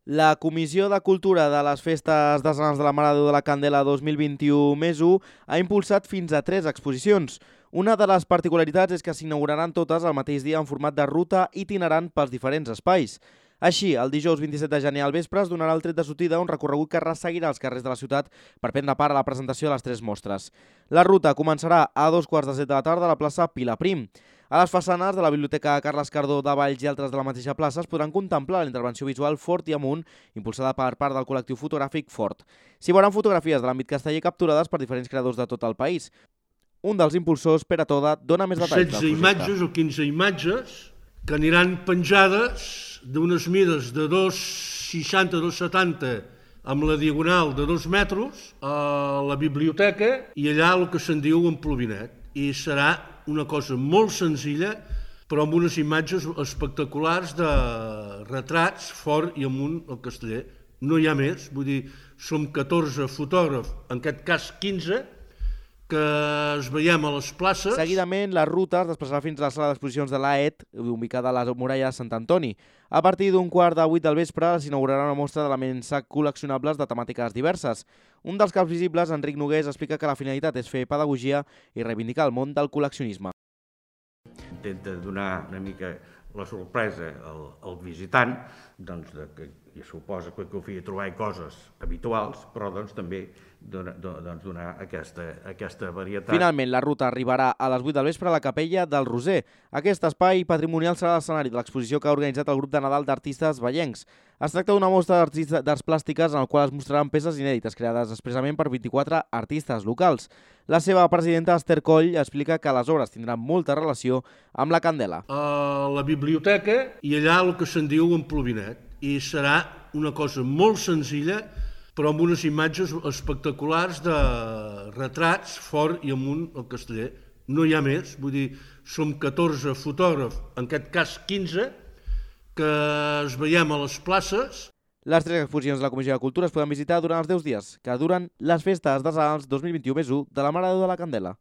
La Comissió de Cultura de les Festes Decenals de la Mare de Déu de la Candela 2021+1 ha impulsat fins a 3 exposicions. Una de les particularitats és que s'inauguraran totes el mateix dia en format de ruta itinerant pels diferents espais. Així, el dijous 27 de gener al vespre es donarà el tret de sortida un recorregut que resseguirà els carrers de la ciutat per prendre part a la presentació de les 3 mostres. La ruta començarà a 2:15 de la tarda a la plaça Pilaprim. A les façanes de la Biblioteca Carles Cardó de Valls i altres de la mateixa plaça es podran contemplar la intervenció visual Fort i Amunt, impulsada per part del col·lectiu fotogràfic Fort. S'hi veuran fotografies de l'àmbit casteller capturades per diferents creadors de tot el país. Un dels impulsors, Pere Toda, dona més detalls del projecte. 16 imatges o 15 imatges que aniran penjades d'unes mides de 2,60 a 2,70 amb la diagonal de 2 metres a la biblioteca i allà el que se'n diu en Plovinet. I serà una cosa molt senzilla, però amb unes imatges espectaculars de retrats Fort i Amunt al Casteller. No hi ha més, vull dir, som 14 fotògrafs, en aquest cas 15, que es veiem a les places. Seguidament, la ruta es desplaçarà fins a la sala d'exposicions de l'AET, ubicada a la muralla de Sant Antoni. A partir d'un 7:15 del vespre s'inaugurarà una mostra d'elements col·leccionables de temàtiques diverses. Un dels caps visibles, Enric Nogués, explica que la finalitat és fer pedagogia i reivindicar el món del col·leccionisme. Intenta donar una mica la sorpresa al visitant, que suposa que confia trobar coses habituals, però també donar aquesta varietat. Finalment, la ruta arribarà a les 8 del vespre a la Capella del Roser. Aquest espai patrimonial serà l'escenari de l'exposició que ha organitzat el grup de Nadal d'artistes vallencs. Es tracta d'una mostra d'arts plàstiques en la qual es mostraran peces inèdites creades expressament per 24 artistes locals. La seva presidenta, Esther Coll, explica que les obres tindran molta relació amb la Candela. A la biblioteca i allà el que se'n diu en Plovinet. I serà una cosa molt senzilla, però amb unes imatges espectaculars de retrats Fort i Amunt al Casteller. No hi ha més, vull dir, som 14 fotògrafs, en aquest cas 15, que es veiem a les places. Les 3 exposicions de la Comissió de Cultura es poden visitar durant els 10 dies que duren les festes decenals 2021+1 de la Mare de Déu de la Candela.